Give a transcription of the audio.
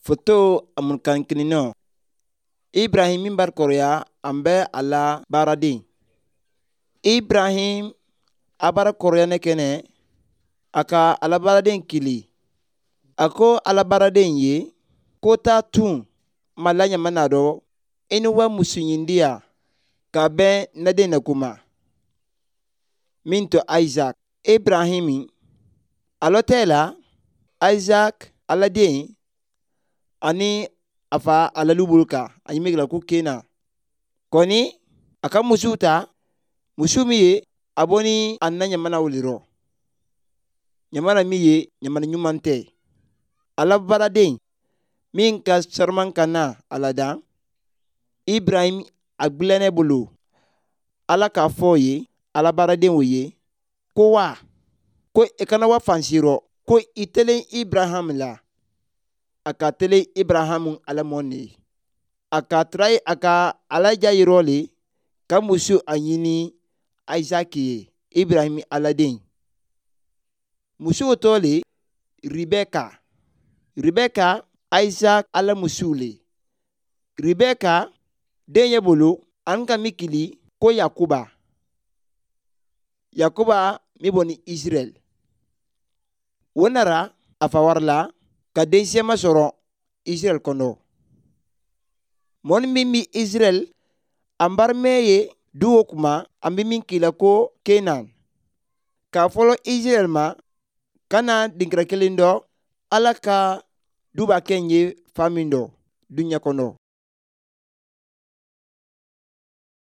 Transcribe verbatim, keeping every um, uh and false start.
Foto amunkan kininɔ. Ibrahim min bari kɔrɔya an bɛ a la baaraden. Ibrahim a bara kɔrɔya ne kɛnɛ a ka ala baaraden kili. A ko ala baaraden ye ko taa tun ma la ɲamana dɔ i ni wa musu ɲindiya ka bɛn na den na kuma. Min to Isaac. Ibrahim alɔ tɛ la Isaac ala den ani a fa ala lubulu kan a ɲimi ko Kena. Kɔni a ka musu ta musu min ye a bɔ ni a na ɲamana wuli rɔ. Ɲamana min ye ɲamana ɲuman tɛ. Ala baaraden min ka saraman ka na a la dan Ibrahim a gbilɛnɛ bolo ala k'a fɔ ye ala baaraden o ye ko wa ko i kana wa fansi rɔ ko i telen Ibrahim la a ka telen Ibrahim ala mɔn ye a ka tara a ka ala ja yɔrɔ le ka muso a ɲini Isaac ye Ibrahim aladen muso tɔ le Rebeka. Rebeka Isaac ala muso le Rebeka den ye bolo an ka min kili ko Yakuba. Yakuba min bɔ ni Israel. O nara a fa wari la ka den siyaman sɔrɔ Israel kɔnɔ. Mɔni min bɛ Israel an barimɛ ye du o kuma an bɛ min kila ko Kenan. K'a fɔlɔ Israel ma ka na dinkɛrɛ kelen dɔ ala ka duba kɛ n ye fa min dɔ duɲɛ kɔnɔ.